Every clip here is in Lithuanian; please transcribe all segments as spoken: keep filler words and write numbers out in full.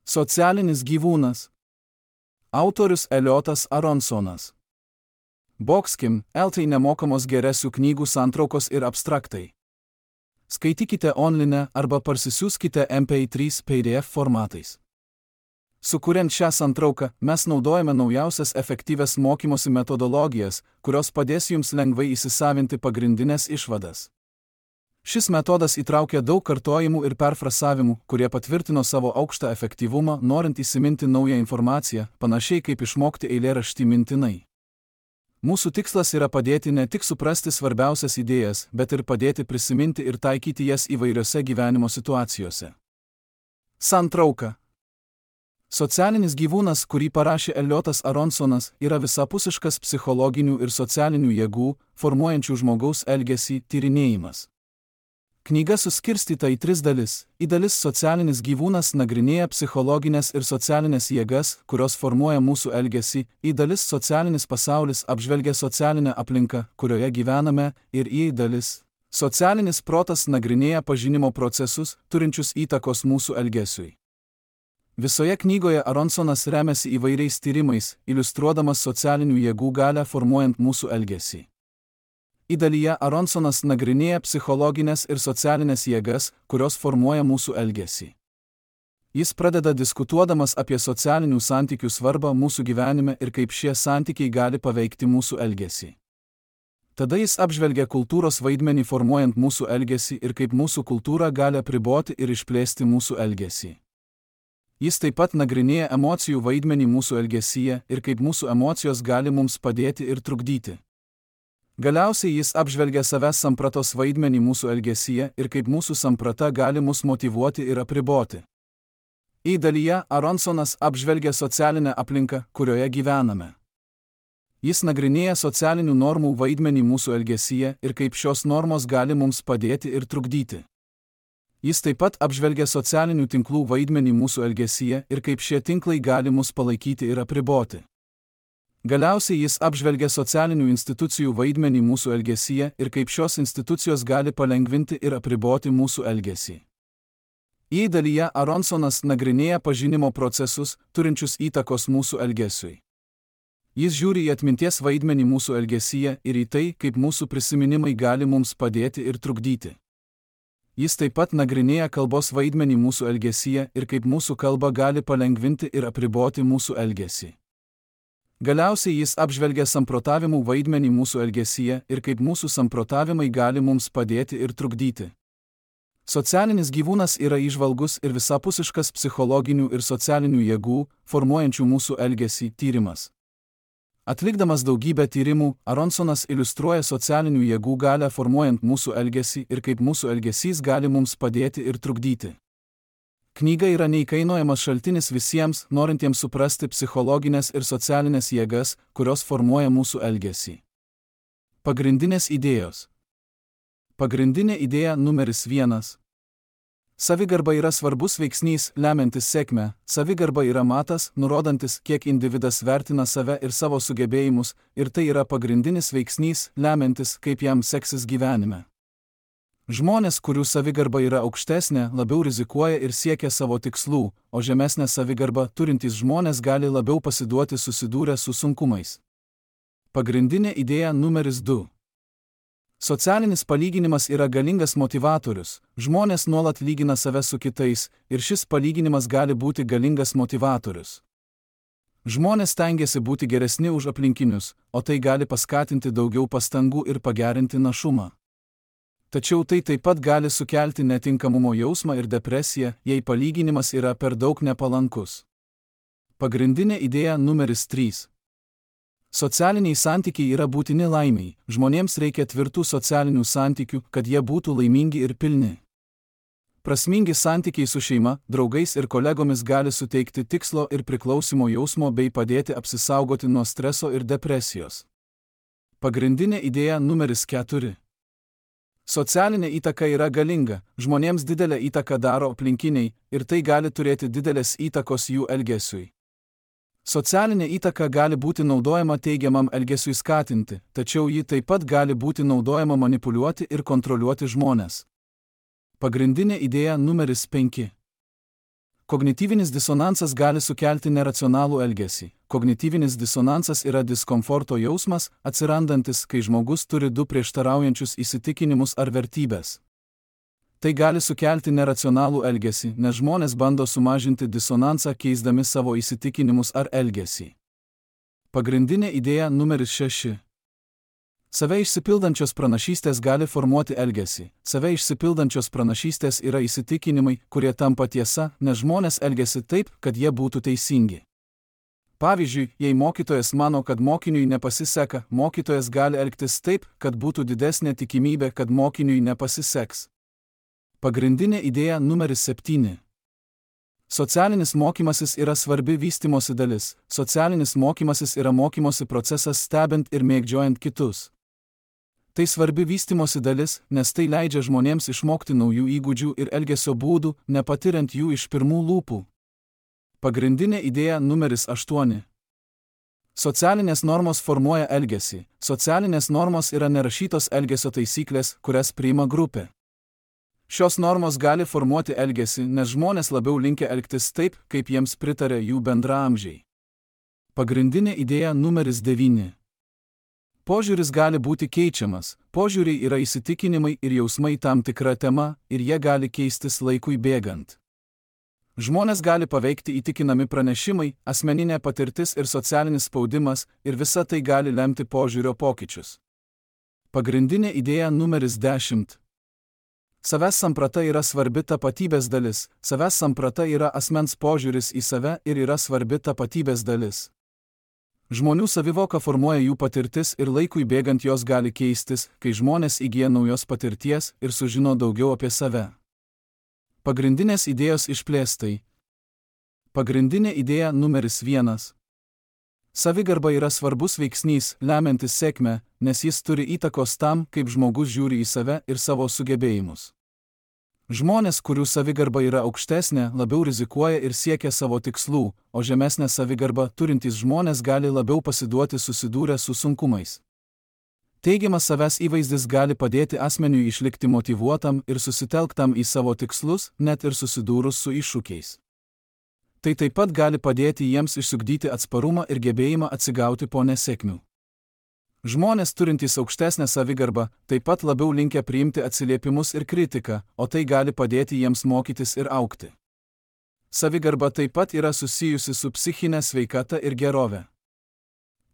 Socialinis gyvūnas. Autorius Eliotas Aronsonas. Boxkim, eltai nemokamos geresių knygų santraukos ir abstraktai. Skaitykite online arba parsisiųskite M P trys P D F formatais. Sukuriant šią santrauką, mes naudojame naujausias efektyvias mokymosi metodologijas, kurios padės jums lengvai įsisavinti pagrindinės išvadas. Šis metodas įtraukia daug kartojimų ir perfrasavimų, kurie patvirtino savo aukštą efektyvumą, norint įsiminti naują informaciją, panašiai kaip išmokti eilėraštį mintinai. Mūsų tikslas yra padėti ne tik suprasti svarbiausias idėjas, bet ir padėti prisiminti ir taikyti jas įvairiose gyvenimo situacijose. Santrauka. Socialinis gyvūnas, kurį parašė Eliotas Aronsonas, yra visapusiškas psichologinių ir socialinių jėgų, formuojančių žmogaus elgesį, tyrinėjimas. Knyga suskirstyta į tris dalis. Į dalis socialinis gyvūnas nagrinėja psichologinės ir socialinės jėgas, kurios formuoja mūsų elgesį, į dalis socialinis pasaulis apžvelgia socialinę aplinką, kurioje gyvename, ir į dalis socialinis protas nagrinėja pažinimo procesus, turinčius įtakos mūsų elgesiui. Visoje knygoje Aronsonas remiasi įvairiais tyrimais, iliustruodamas socialinių jėgų galią formuojant mūsų elgesį. Į dalyje Aronsonas nagrinėja psichologinės ir socialinės jėgas, kurios formuoja mūsų elgesį. Jis pradeda diskutuodamas apie socialinių santykių svarbą mūsų gyvenime ir kaip šie santykiai gali paveikti mūsų elgesį. Tada jis apžvelgia kultūros vaidmenį formuojant mūsų elgesį ir kaip mūsų kultūra gali apriboti ir išplėsti mūsų elgesį. Jis taip pat nagrinėja emocijų vaidmenį mūsų elgesyje ir kaip mūsų emocijos gali mums padėti ir trukdyti. Galiausiai jis apžvelgia savęs sampratos vaidmenį mūsų elgesyje ir kaip mūsų samprata gali mus motyvuoti ir apriboti. Į dalyje Aronsonas apžvelgia socialinę aplinką, kurioje gyvename. Jis nagrinėja socialinių normų vaidmenį mūsų elgesyje ir kaip šios normos gali mums padėti ir trukdyti. Jis taip pat apžvelgia socialinių tinklų vaidmenį mūsų elgesyje ir kaip šie tinklai gali mus palaikyti ir apriboti. Galiausiai jis apžvelgia socialinių institucijų vaidmenį mūsų elgesyje ir kaip šios institucijos gali palengvinti ir apriboti mūsų elgesį. Į dalyje Aronsonas nagrinėja pažinimo procesus, turinčius įtakos mūsų elgesiui. Jis žiūri į atminties vaidmenį mūsų elgesyje ir į tai, kaip mūsų prisiminimai gali mums padėti ir trukdyti. Jis taip pat nagrinėja kalbos vaidmenį mūsų elgesyje ir kaip mūsų kalba gali palengvinti ir apriboti mūsų elgesį. Galiausiai jis apžvelgia samprotavimų vaidmenį mūsų elgesyje ir kaip mūsų samprotavimai gali mums padėti ir trukdyti. Socialinis gyvūnas yra įžvalgus ir visapusiškas psichologinių ir socialinių jėgų, formuojančių mūsų elgesį, tyrimas. Atlikdamas daugybę tyrimų, Aronsonas iliustruoja socialinių jėgų galią formuojant mūsų elgesį ir kaip mūsų elgesys gali mums padėti ir trukdyti. Knyga yra neįkainojamas šaltinis visiems, norintiems suprasti psichologinės ir socialinės jėgas, kurios formuoja mūsų elgesį. Pagrindinės idėjos. Pagrindinė idėja numeris vienas. Savigarba yra svarbus veiksnys, lemiantis sėkmę. Savigarba yra matas, nurodantis, kiek individas vertina save ir savo sugebėjimus, ir tai yra pagrindinis veiksnys, lemiantis, kaip jam seksis gyvenime. Žmonės, kurių savigarba yra aukštesnė, labiau rizikuoja ir siekia savo tikslų, o žemesnę savigarbą turintys žmonės gali labiau pasiduoti susidūrę su sunkumais. Pagrindinė idėja numeris du. Socialinis palyginimas yra galingas motivatorius. Žmonės nuolat lygina save su kitais, ir šis palyginimas gali būti galingas motivatorius. Žmonės stengiasi būti geresni už aplinkinius, o tai gali paskatinti daugiau pastangų ir pagerinti našumą. Tačiau tai taip pat gali sukelti netinkamumo jausmą ir depresiją, jei palyginimas yra per daug nepalankus. Pagrindinė idėja numeris trys. Socialiniai santykiai yra būtini laimiai. Žmonėms reikia tvirtų socialinių santykių, kad jie būtų laimingi ir pilni. Prasmingi santykiai su šeima, draugais ir kolegomis gali suteikti tikslo ir priklausimo jausmo bei padėti apsisaugoti nuo streso ir depresijos. Pagrindinė idėja numeris keturi. Socialinė įtaka yra galinga, žmonėms didelę įtaką daro aplinkiniai ir tai gali turėti didelės įtakos jų elgesiui. Socialinė įtaka gali būti naudojama teigiamam elgesiui skatinti, tačiau ji taip pat gali būti naudojama manipuliuoti ir kontroliuoti žmones. Pagrindinė idėja numeris penki. Kognityvinis disonansas gali sukelti neracionalų elgesį. Kognityvinis disonansas yra diskomforto jausmas, atsirandantis, kai žmogus turi du prieštaraujančius įsitikinimus ar vertybės. Tai gali sukelti neracionalų elgesį, nes žmonės bando sumažinti disonansą keisdami savo įsitikinimus ar elgesį. Pagrindinė idėja numeris šeši. Save išsipildančios pranašystės gali formuoti elgesį. Save išsipildančios pranašystės yra įsitikinimai, kurie tampa tiesa, nes žmonės elgiasi taip, kad jie būtų teisingi. Pavyzdžiui, jei mokytojas mano, kad mokiniui nepasiseka, mokytojas gali elgtis taip, kad būtų didesnė tikimybė, kad mokiniui nepasiseks. Pagrindinė idėja numeris septyni. Socialinis mokymasis yra svarbi vystymosi dalis. Socialinis mokymasis yra mokymosi procesas stebint ir mėgdžiojant kitus. Tai svarbi vystymosi dalis, nes tai leidžia žmonėms išmokti naujų įgūdžių ir elgesio būdų, nepatiriant jų iš pirmų lūpų. Pagrindinė idėja numeris aštuoni. Socialinės normos formuoja elgesį. Socialinės normos yra nerašytos elgesio taisyklės, kurias priima grupė. Šios normos gali formuoti elgesį, nes žmonės labiau linkę elgtis taip, kaip jiems pritarė jų bendraamžiai. Pagrindinė idėja numeris devyni. Požiūris gali būti keičiamas. Požiūriai yra įsitikinimai ir jausmai tam tikra tema, ir jie gali keistis laikui bėgant. Žmonės gali paveikti įtikinami pranešimai, asmeninė patirtis ir socialinis spaudimas, ir visa tai gali lemti požiūrio pokyčius. Pagrindinė idėja numeris dešimt. Savęs samprata yra svarbi tapatybės dalis. Savęs samprata yra asmens požiūris į save ir yra svarbi tapatybės dalis. Žmonių savivoka formuoja jų patirtis ir laikui bėgant jos gali keistis, kai žmonės įgyja naujos patirties ir sužino daugiau apie save. Pagrindinės idėjos išplėstai. Pagrindinė idėja numeris vienas. Savigarba yra svarbus veiksnys, lemiantis sėkmę, nes jis turi įtakos tam, kaip žmogus žiūri į save ir savo sugebėjimus. Žmonės, kurių savigarba yra aukštesnė, labiau rizikuoja ir siekia savo tikslų, o žemesnę savigarbą turintys žmonės gali labiau pasiduoti susidūrę su sunkumais. Teigiamas savęs įvaizdis gali padėti asmeniui išlikti motyvuotam ir susitelktam į savo tikslus, net ir susidūrus su iššūkiais. Tai taip pat gali padėti jiems išsiugdyti atsparumą ir gebėjimą atsigauti po nesėkmių. Žmonės turintys aukštesnę savigarbą taip pat labiau linkę priimti atsiliepimus ir kritiką, o tai gali padėti jiems mokytis ir augti. Savigarba taip pat yra susijusi su psichinė sveikata ir gerove.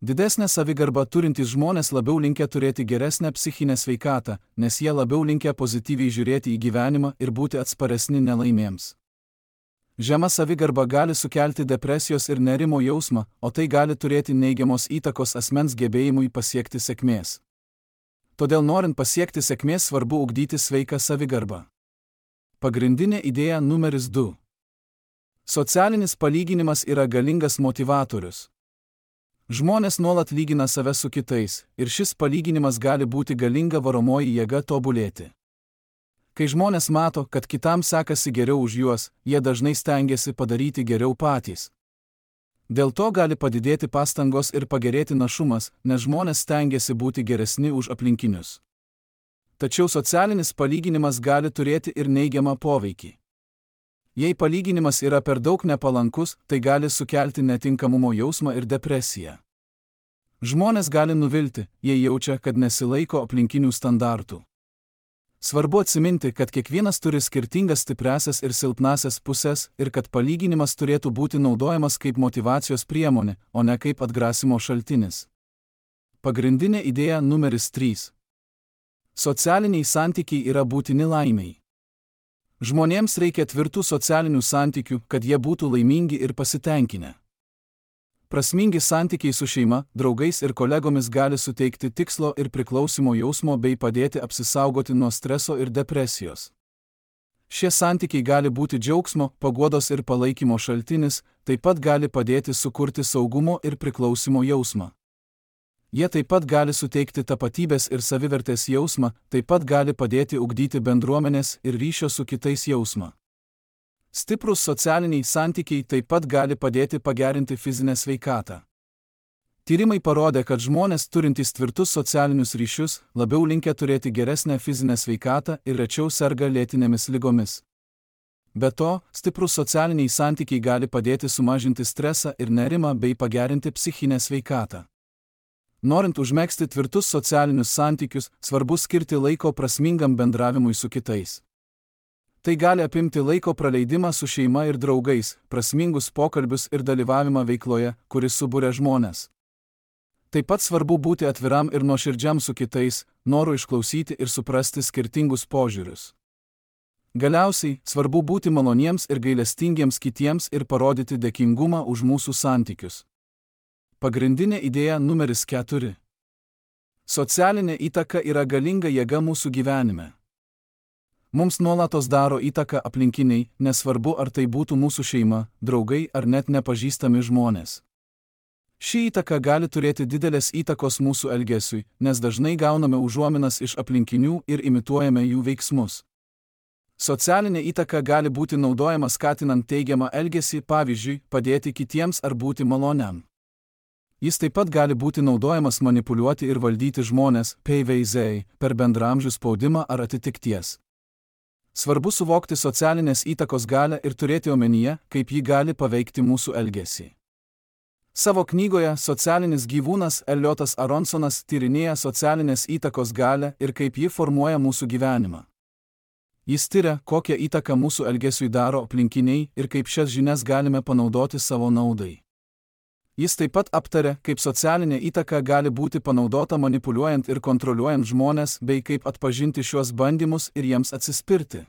Didesnė savigarba turintys žmonės labiau linkę turėti geresnę psichinę sveikatą, nes jie labiau linkę pozityviai žiūrėti į gyvenimą ir būti atsparesni nelaimėms. Žema savigarba gali sukelti depresijos ir nerimo jausmą, o tai gali turėti neigiamos įtakos asmens gebėjimui pasiekti sėkmės. Todėl norint pasiekti sėkmės svarbu ugdyti sveiką savigarbą. Pagrindinė idėja numeris du. Socialinis palyginimas yra galingas motyvatorius. Žmonės nuolat lygina save su kitais, ir šis palyginimas gali būti galinga varomoji jėga tobulėti. Kai žmonės mato, kad kitam sekasi geriau už juos, jie dažnai stengiasi padaryti geriau patys. Dėl to gali padidėti pastangos ir pagerėti našumas, nes žmonės stengiasi būti geresni už aplinkinius. Tačiau socialinis palyginimas gali turėti ir neigiamą poveikį. Jei palyginimas yra per daug nepalankus, tai gali sukelti netinkamumo jausmą ir depresiją. Žmonės gali nuvilti, jei jaučia, kad nesilaiko aplinkinių standartų. Svarbu atsiminti, kad kiekvienas turi skirtingas stipriasias ir silpnasias pusės ir kad palyginimas turėtų būti naudojamas kaip motyvacijos priemonė, o ne kaip atgrasimo šaltinis. Pagrindinė idėja numeris trys. Socialiniai santykiai yra būtini laimei. Žmonėms reikia tvirtų socialinių santykių, kad jie būtų laimingi ir pasitenkinę. Prasmingi santykiai su šeima, draugais ir kolegomis gali suteikti tikslo ir priklausimo jausmo bei padėti apsisaugoti nuo streso ir depresijos. Šie santykiai gali būti džiaugsmo, paguodos ir palaikymo šaltinis, taip pat gali padėti sukurti saugumo ir priklausimo jausmą. Jie taip pat gali suteikti tapatybės ir savivertės jausmą, taip pat gali padėti ugdyti bendruomenės ir ryšio su kitais jausmą. Stiprus socialiniai santykiai taip pat gali padėti pagerinti fizinę sveikatą. Tyrimai parodė, kad žmonės turintys tvirtus socialinius ryšius labiau linkę turėti geresnę fizinę sveikatą ir rečiau serga lėtinėmis ligomis. Be to, stiprus socialiniai santykiai gali padėti sumažinti stresą ir nerimą bei pagerinti psichinę sveikatą. Norint užmegzti tvirtus socialinius santykius, svarbu skirti laiko prasmingam bendravimui su kitais. Tai gali apimti laiko praleidimą su šeima ir draugais, prasmingus pokalbius ir dalyvavimą veikloje, kuris suburia žmones. Taip pat svarbu būti atviram ir nuoširdžiam su kitais, noru išklausyti ir suprasti skirtingus požiūrius. Galiausiai, svarbu būti maloniems ir gailestingiems kitiems ir parodyti dėkingumą už mūsų santykius. Pagrindinė idėja numeris keturi. Socialinė įtaka yra galinga jėga mūsų gyvenime. Mums nuolatos daro įtaką aplinkiniai, nesvarbu ar tai būtų mūsų šeima, draugai ar net nepažįstami žmonės. Ši įtaka gali turėti didelės įtakos mūsų elgesiui, nes dažnai gauname užuominas iš aplinkinių ir imituojame jų veiksmus. Socialinė įtaka gali būti naudojama skatinant teigiamą elgesį, pavyzdžiui, padėti kitiems ar būti maloniam. Jis taip pat gali būti naudojamas manipuliuoti ir valdyti žmonės, P V Z, per bendraamžių spaudimą ar atitikties. Svarbu suvokti socialinės įtakos galią ir turėti omenyje, kaip ji gali paveikti mūsų elgesį. Savo knygoje Socialinis gyvūnas Eliotas Aronsonas tyrinėja socialinės įtakos galią ir kaip ji formuoja mūsų gyvenimą. Jis tyria, kokią įtaką mūsų elgesiui daro aplinkiniai ir kaip šias žinias galime panaudoti savo naudai. Jis taip pat aptaria, kaip socialinė įtaka gali būti panaudota manipuliuojant ir kontroliuojant žmones, bei kaip atpažinti šiuos bandymus ir jiems atsispirti.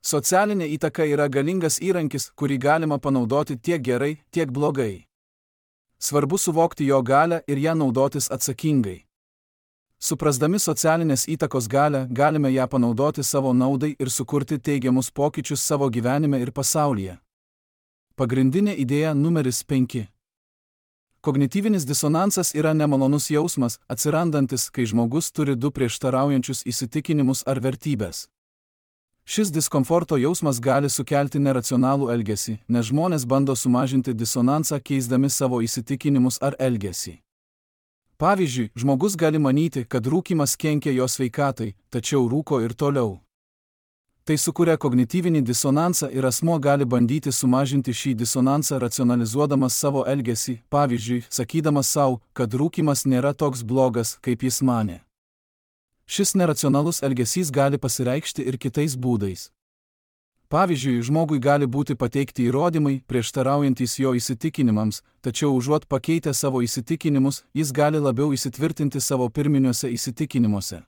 Socialinė įtaka yra galingas įrankis, kurį galima panaudoti tiek gerai, tiek blogai. Svarbu suvokti jo galią ir ją naudotis atsakingai. Suprasdami socialinės įtakos galią, galime ją panaudoti savo naudai ir sukurti teigiamus pokyčius savo gyvenime ir pasaulyje. Pagrindinė idėja numeris penki. Kognityvinis disonansas yra nemalonus jausmas, atsirandantis, kai žmogus turi du prieštaraujančius įsitikinimus ar vertybės. Šis diskomforto jausmas gali sukelti neracionalų elgesį, nes žmonės bando sumažinti disonansą keisdami savo įsitikinimus ar elgesį. Pavyzdžiui, žmogus gali manyti, kad rūkymas kenkia jo sveikatai, tačiau rūko ir toliau. Tai sukuria kognityvinį disonansą ir asmuo gali bandyti sumažinti šį disonansą racionalizuodamas savo elgesį, pavyzdžiui, sakydamas savo, kad rūkymas nėra toks blogas, kaip jis manė. Šis neracionalus elgesys gali pasireikšti ir kitais būdais. Pavyzdžiui, žmogui gali būti pateikti įrodymai, prieštaraujantys jo įsitikinimams, tačiau užuot pakeitę savo įsitikinimus, jis gali labiau įsitvirtinti savo pirminiuose įsitikinimuose.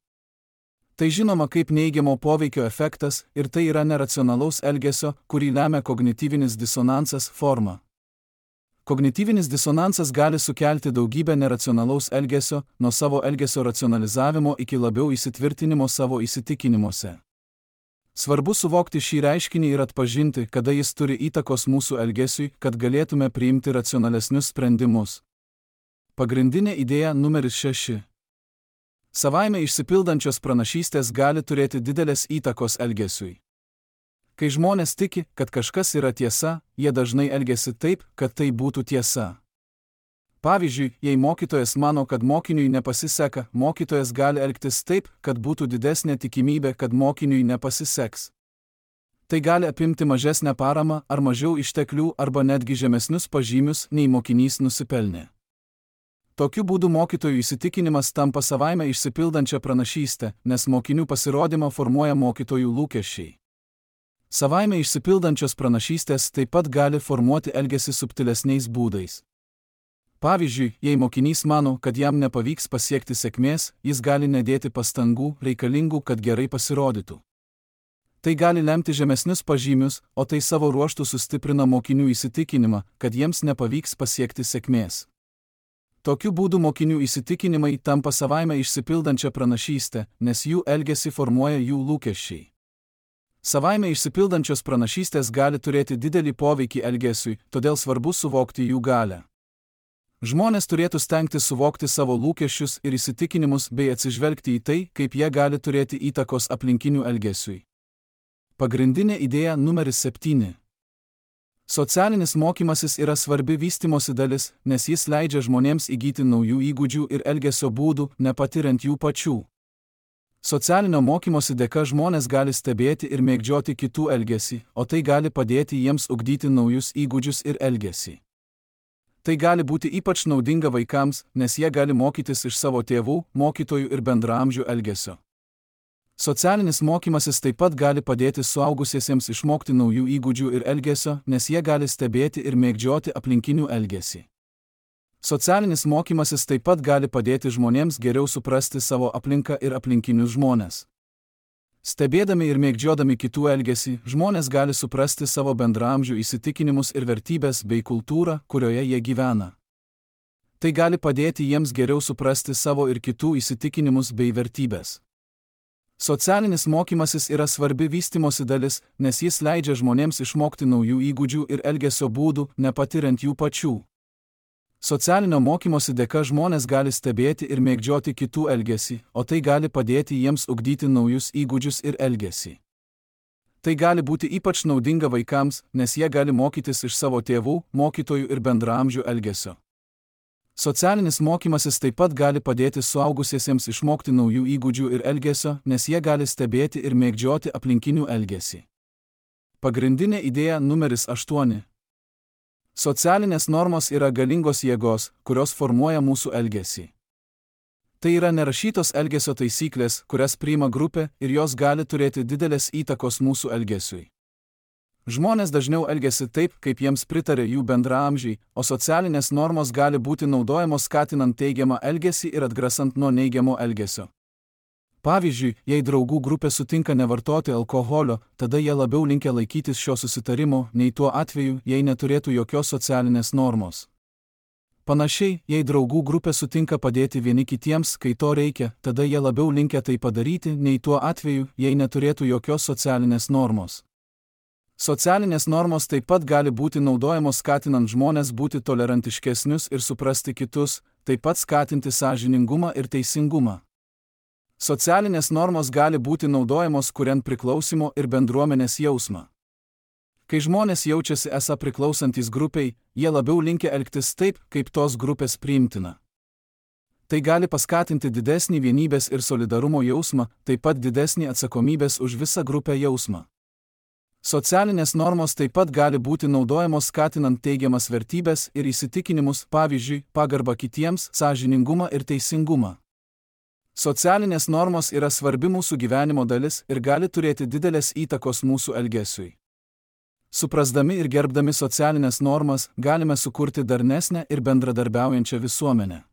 Tai žinoma kaip neigiamo poveikio efektas ir tai yra neracionalaus elgesio, kurį lemia kognityvinis disonansas forma. Kognityvinis disonansas gali sukelti daugybę neracionalaus elgesio, nuo savo elgesio racionalizavimo iki labiau įsitvirtinimo savo įsitikinimuose. Svarbu suvokti šį reiškinį ir atpažinti, kada jis turi įtakos mūsų elgesiui, kad galėtume priimti racionalesnius sprendimus. Pagrindinė idėja numeris šeši. Savaime išsipildančios pranašystės gali turėti didelės įtakos elgesiui. Kai žmonės tiki, kad kažkas yra tiesa, jie dažnai elgiasi taip, kad tai būtų tiesa. Pavyzdžiui, jei mokytojas mano, kad mokiniui nepasiseka, mokytojas gali elgtis taip, kad būtų didesnė tikimybė, kad mokiniui nepasiseks. Tai gali apimti mažesnę paramą ar mažiau išteklių arba netgi žemesnius pažymius, nei mokinys nusipelnė. Tokiu būdu mokytojų įsitikinimas tampa savaime išsipildančią pranašystę, nes mokinių pasirodymą formuoja mokytojų lūkesčiai. Savaime išsipildančios pranašystės taip pat gali formuoti elgesį subtilesniais būdais. Pavyzdžiui, jei mokinys mano, kad jam nepavyks pasiekti sėkmės, jis gali nedėti pastangų, reikalingų, kad gerai pasirodytų. Tai gali lemti žemesnius pažymius, o tai savo ruožtu sustiprina mokinių įsitikinimą, kad jiems nepavyks pasiekti sėkmės. Tokiu būdu mokinių įsitikinimai tampa savaime išsipildančią pranašystę, nes jų elgesį formuoja jų lūkesčiai. Savaime išsipildančios pranašystės gali turėti didelį poveikį elgesiui, todėl svarbu suvokti jų galią. Žmonės turėtų stengtis suvokti savo lūkesčius ir įsitikinimus bei atsižvelgti į tai, kaip jie gali turėti įtakos aplinkinių elgesiui. Pagrindinė idėja numeris septyni. Socialinis mokymasis yra svarbi vystymosi dalis, nes jis leidžia žmonėms įgyti naujų įgūdžių ir elgesio būdų, nepatiriant jų pačių. Socialinio mokymosi dėka žmonės gali stebėti ir mėgdžioti kitų elgesį, o tai gali padėti jiems ugdyti naujus įgūdžius ir elgesį. Tai gali būti ypač naudinga vaikams, nes jie gali mokytis iš savo tėvų, mokytojų ir bendraamžių elgesio. Socialinis mokymasis taip pat gali padėti suaugusiesiems išmokti naujų įgūdžių ir elgesio, nes jie gali stebėti ir mėgdžioti aplinkinių elgesį. Socialinis mokymasis taip pat gali padėti žmonėms geriau suprasti savo aplinką ir aplinkinius žmones. Stebėdami ir mėgdžiodami kitų elgesį, žmonės gali suprasti savo bendraamžių įsitikinimus ir vertybės bei kultūrą, kurioje jie gyvena. Tai gali padėti jiems geriau suprasti savo ir kitų įsitikinimus bei vertybės. Socialinis mokymasis yra svarbi vystymosi dalis, nes jis leidžia žmonėms išmokti naujų įgūdžių ir elgesio būdų, nepatiriant jų pačių. Socialinio mokymosi dėka žmonės gali stebėti ir mėgdžioti kitų elgesį, o tai gali padėti jiems ugdyti naujus įgūdžius ir elgesį. Tai gali būti ypač naudinga vaikams, nes jie gali mokytis iš savo tėvų, mokytojų ir bendraamžių elgesio. Socialinis mokymasis taip pat gali padėti suaugusiesiems išmokti naujų įgūdžių ir elgesio, nes jie gali stebėti ir mėgdžioti aplinkinių elgesį. Pagrindinė idėja numeris aštuoni. Socialinės normos yra galingos jėgos, kurios formuoja mūsų elgesį. Tai yra nerašytos elgesio taisyklės, kurias priima grupė ir jos gali turėti didelės įtakos mūsų elgesiui. Žmonės dažniau elgiasi taip, kaip jiems pritarė jų bendraamžiai, o socialinės normos gali būti naudojamos skatinant teigiamą elgesį ir atgrasant nuo neigiamo elgesio. Pavyzdžiui, jei draugų grupė sutinka nevartoti alkoholio, tada jie labiau linkę laikytis šio susitarimo, nei tuo atveju, jei neturėtų jokios socialinės normos. Panašiai, jei draugų grupė sutinka padėti vieni kitiems, kai to reikia, tada jie labiau linkę tai padaryti, nei tuo atveju, jei neturėtų jokios socialinės normos. Socialinės normos taip pat gali būti naudojamos skatinant žmones būti tolerantiškesnius ir suprasti kitus, taip pat skatinti sąžiningumą ir teisingumą. Socialinės normos gali būti naudojamos kuriant priklausimo ir bendruomenės jausmą. Kai žmonės jaučiasi esą priklausantys grupiai, jie labiau linkę elgtis taip, kaip tos grupės priimtina. Tai gali paskatinti didesnį vienybės ir solidarumo jausmą, taip pat didesnį atsakomybės už visą grupę jausmą. Socialinės normos taip pat gali būti naudojamos skatinant teigiamas vertybės ir įsitikinimus, pavyzdžiui, pagarbą kitiems, sąžiningumą ir teisingumą. Socialinės normos yra svarbi mūsų gyvenimo dalis ir gali turėti didelės įtakos mūsų elgesiui. Suprasdami ir gerbdami socialinės normas, galime sukurti darnesnę ir bendradarbiaujančią visuomenę.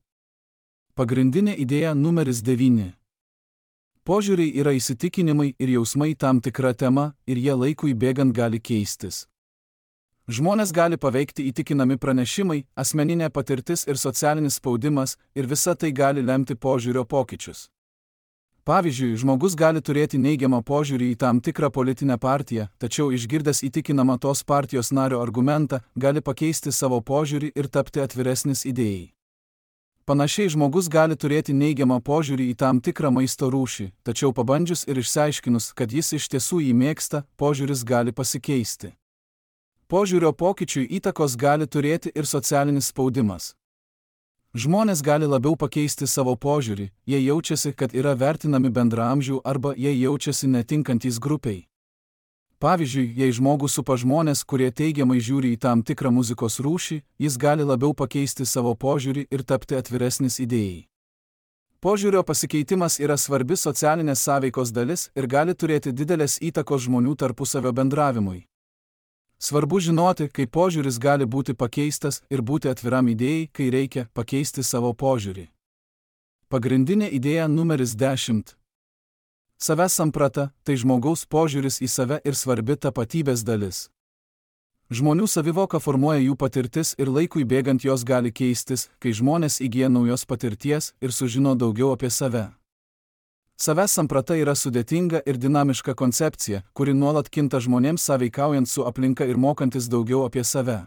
Pagrindinė idėja numeris devyni. Požiūriai yra įsitikinimai ir jausmai tam tikra tema ir jie laikui bėgant gali keistis. Žmonės gali paveikti įtikinami pranešimai, asmeninė patirtis ir socialinis spaudimas ir visa tai gali lemti požiūrio pokyčius. Pavyzdžiui, žmogus gali turėti neigiamą požiūrį į tam tikrą politinę partiją, tačiau išgirdęs įtikinamą tos partijos nario argumentą, gali pakeisti savo požiūrį ir tapti atviresnis idėjai. Panašiai žmogus gali turėti neigiamą požiūrį į tam tikrą maisto rūšį, tačiau pabandžius ir išsiaiškinus, kad jis iš tiesų jį mėgsta, požiūris gali pasikeisti. Požiūrio pokyčiui įtakos gali turėti ir socialinis spaudimas. Žmonės gali labiau pakeisti savo požiūrį, jei jaučiasi, kad yra vertinami bendraamžių arba jei jaučiasi netinkantys grupiai. Pavyzdžiui, jei žmogų supa žmonės, kurie teigiamai žiūri į tam tikrą muzikos rūšį, jis gali labiau pakeisti savo požiūrį ir tapti atviresnis idėjai. Požiūrio pasikeitimas yra svarbi socialinės sąveikos dalis ir gali turėti didelės įtakos žmonių tarpusavio bendravimui. Svarbu žinoti, kaip požiūris gali būti pakeistas ir būti atviram idėjai, kai reikia pakeisti savo požiūrį. Pagrindinė idėja numeris dešimt. Savęs samprata – tai žmogaus požiūris į save ir svarbi tapatybės dalis. Žmonių savivoka formuoja jų patirtis ir laikui bėgant jos gali keistis, kai žmonės įgyja naujos patirties ir sužino daugiau apie save. Savęs samprata yra sudėtinga ir dinamiška koncepcija, kuri nuolat kinta žmonėms sąveikaujant su aplinka ir mokantis daugiau apie save.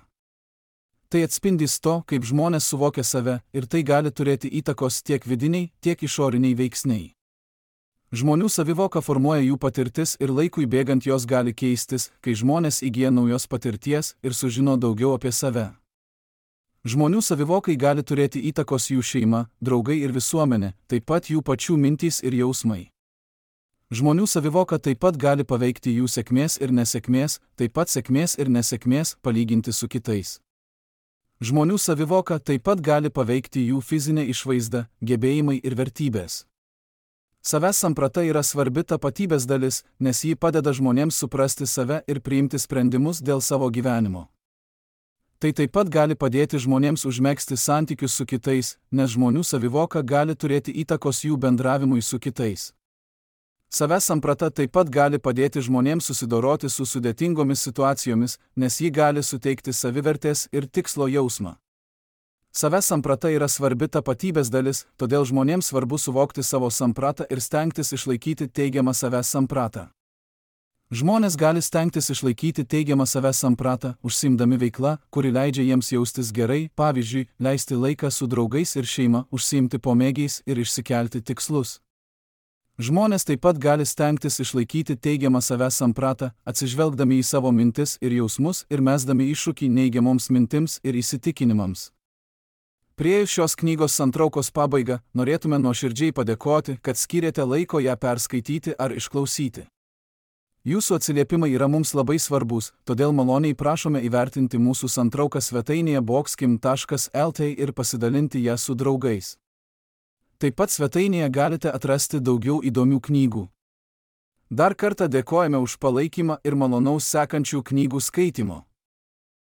Tai atspindys to, kaip žmonės suvokia save, ir tai gali turėti įtakos tiek vidiniai, tiek išoriniai veiksniai. Žmonių savivoka formuoja jų patirtis ir laikui bėgant jos gali keistis, kai žmonės įgyja naujos patirties ir sužino daugiau apie save. Žmonių savivokai gali turėti įtakos jų šeima, draugai ir visuomenė, taip pat jų pačių mintys ir jausmai. Žmonių savivoka taip pat gali paveikti jų sėkmės ir nesėkmės, taip pat sėkmės ir nesėkmės palyginti su kitais. Žmonių savivoka taip pat gali paveikti jų fizinę išvaizdą, gebėjimai ir vertybės. Savęs samprata yra svarbi tapatybės dalis, nes ji padeda žmonėms suprasti save ir priimti sprendimus dėl savo gyvenimo. Tai taip pat gali padėti žmonėms užmegzti santykius su kitais, nes žmonių savivoka gali turėti įtakos jų bendravimui su kitais. Savęs samprata taip pat gali padėti žmonėms susidoroti su sudėtingomis situacijomis, nes ji gali suteikti savivertės ir tikslo jausmą. Savęs samprata yra svarbi tapatybės dalis, todėl žmonėms svarbu suvokti savo sampratą ir stengtis išlaikyti teigiamą savęs sampratą. Žmonės gali stengtis išlaikyti teigiamą savęs sampratą, užsiimdami veikla, kuri leidžia jiems jaustis gerai, pavyzdžiui, leisti laiką su draugais ir šeima, užsiimti pomėgiais ir išsikelti tikslus. Žmonės taip pat gali stengtis išlaikyti teigiamą savęs sampratą, atsižvelgdami į savo mintis ir jausmus ir mesdami iššūkį neigiamoms mintims ir įsitikinimams. Priėjus šios knygos santraukos pabaigą, norėtume nuoširdžiai padėkoti, kad skyrėte laiko ją perskaityti ar išklausyti. Jūsų atsiliepimai yra mums labai svarbus, todėl maloniai prašome įvertinti mūsų santrauką svetainėje boxkim taškas lt ir pasidalinti ją su draugais. Taip pat svetainėje galite atrasti daugiau įdomių knygų. Dar kartą dėkojame už palaikymą ir malonaus sekančių knygų skaitimo.